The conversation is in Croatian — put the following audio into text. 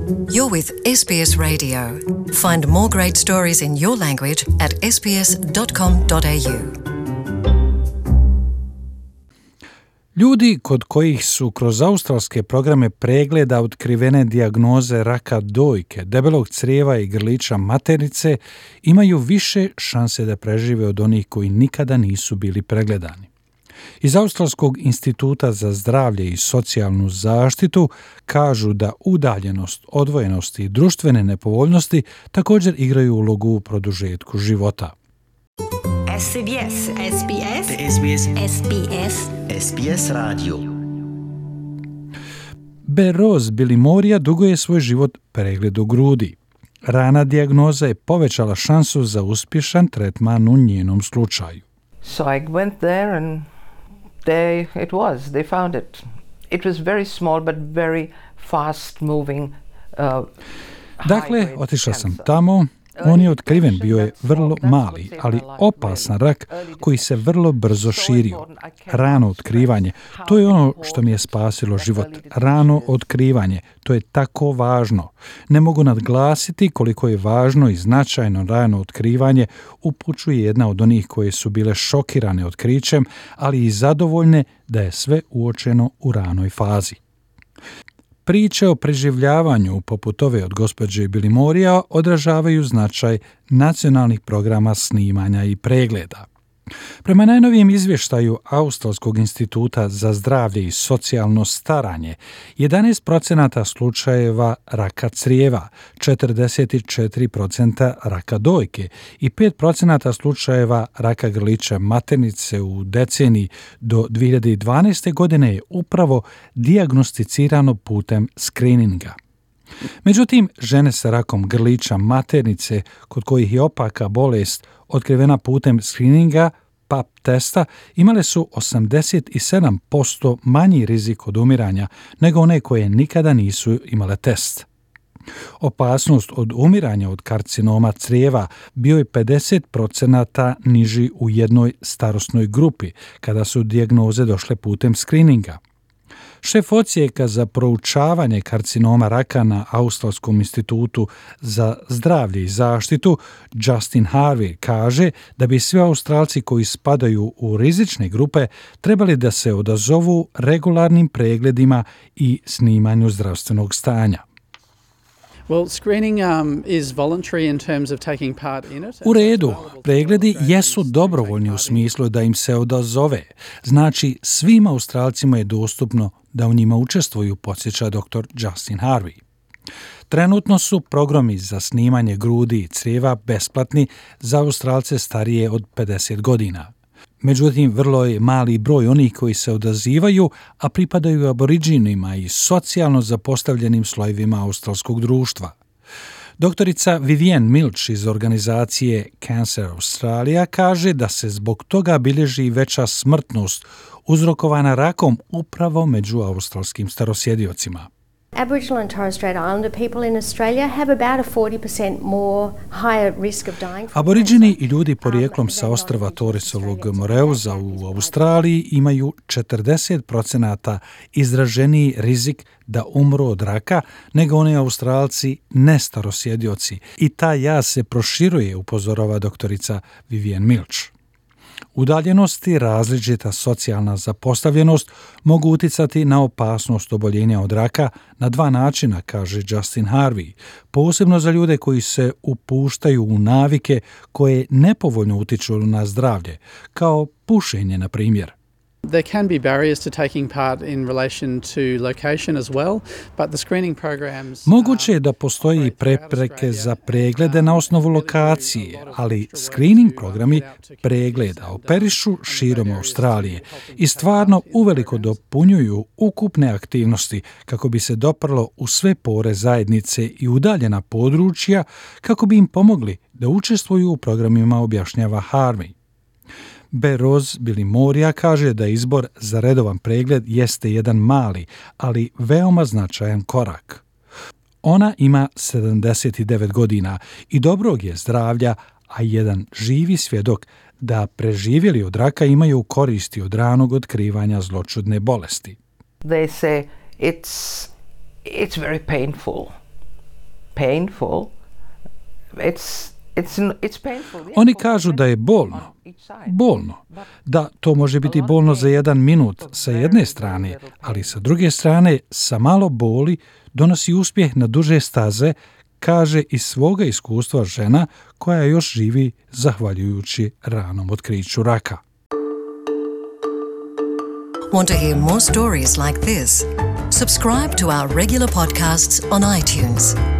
You're with SBS Radio. Find more great stories in your language at sbs.com.au. Ljudi kod kojih su kroz australske programe pregleda otkrivene dijagnoze raka dojke, debelog crijeva i grlića maternice imaju više šanse da prežive od onih koji nikada nisu bili pregledani. Iz Australskog instituta za zdravlje i socijalnu zaštitu kažu da udaljenost, odvojenost i društvene nepovoljnosti također igraju ulogu u produžetku života. SBS. SBS. SBS. SBS. SBS radio. Beroz Bilimorija dugo je svoj život pregledu grudi. Rana dijagnoza je povećala šansu za uspješan tretman u njenom slučaju. So I went there and there it was. They found it. It was very small but very fast moving. Dakle, otišla sam tamo. On je otkriven, bio je vrlo mali, ali opasan rak koji se vrlo brzo širio. Rano otkrivanje, to je ono što mi je spasilo život. Rano otkrivanje, to je tako važno. Ne mogu nadglasiti koliko je važno i značajno rano otkrivanje, upućuje jedna od onih koje su bile šokirane otkrićem, ali i zadovoljne da je sve uočeno u ranoj fazi. Priče o preživljavanju poput ove od gospođe Bilimorija odražavaju značaj nacionalnih programa snimanja i pregleda. Prema najnovijem izvještaju Australskog instituta za zdravlje i socijalno staranje, 11% slučajeva raka crijeva, 44% raka dojke i 5% slučajeva raka grlića maternice u deceniji do 2012. godine je upravo dijagnosticirano putem skrininga. Međutim, žene sa rakom grlića maternice, kod kojih je opaka bolest otkrivena putem skrininga, PAP testa, imale su 87% manji rizik od umiranja nego one koje nikada nisu imale test. Opasnost od umiranja od karcinoma crijeva bio je 50% niži u jednoj starosnoj grupi kada su dijagnoze došle putem skrininga. Šef odsjeka za proučavanje karcinoma raka na Australskom institutu za zdravlje i zaštitu, Justin Harvey, kaže da bi svi Australci koji spadaju u rizične grupe trebali da se odazovu regularnim pregledima i snimanju zdravstvenog stanja. Well, screening is voluntary in terms of taking part in it. U redu, pregledi jesu dobrovoljni u smislu da im se odazove. Znači, svim Australcima je dostupno da u njima učestvuju, podsjeća dr. Justin Harvey. Trenutno su programi za snimanje grudi i crijeva besplatni za Australce starije od 50 godina. Međutim, vrlo je mali broj onih koji se odazivaju, a pripadaju aboriđinima i socijalno zapostavljenim slojevima australskog društva. Doktorica Vivienne Milch iz organizacije Cancer Australia kaže da se zbog toga bilježi veća smrtnost uzrokovana rakom upravo među australskim starosjediocima. Aboriginal and Torres Strait Islander people in Australia have about a 40% more higher risk of dying. Aboriđini i ljudi porijeklom sa ostrva Torresovog Moreuza u Australiji imaju 40% izraženiji rizik da umru od raka nego oni Australci nestarosjedioci i taj jaz se proširuje, upozorava doktorica Vivienne Milch. Udaljenost i različita socijalna zapostavljenost mogu uticati na opasnost oboljenja od raka na dva načina, kaže Justin Harvey, posebno za ljude koji se upuštaju u navike koje nepovoljno utiču na zdravlje, kao pušenje, na primjer. There can be barriers to taking part in relation to location as well, but the screening programs... Moguće je da postoji prepreke za preglede na osnovu lokacije, ali screening programi pregleda operišu širom Australije i stvarno uveliko dopunjuju ukupne aktivnosti kako bi se doprlo u sve pore zajednice i udaljena područja kako bi im pomogli da učestvuju u programima, objašnjava Harvey. Beroz Bilimorija kaže da izbor za redovan pregled jeste jedan mali, ali veoma značajan korak. Ona ima 79 godina i dobrog je zdravlja, a jedan živi svjedok da preživjeli od raka imaju koristi od ranog otkrivanja zloćudne bolesti. They say it's very painful. painful. It's painful. Oni kažu da je bolno, da to može biti bolno za 1 minut sa jedne strane, ali sa druge strane sa malo boli donosi uspjeh na duže staze, kaže iz svoga iskustva žena koja još živi zahvaljujući ranom otkriću raka. Want to hear more stories like this? Subscribe to our regular podcasts on iTunes.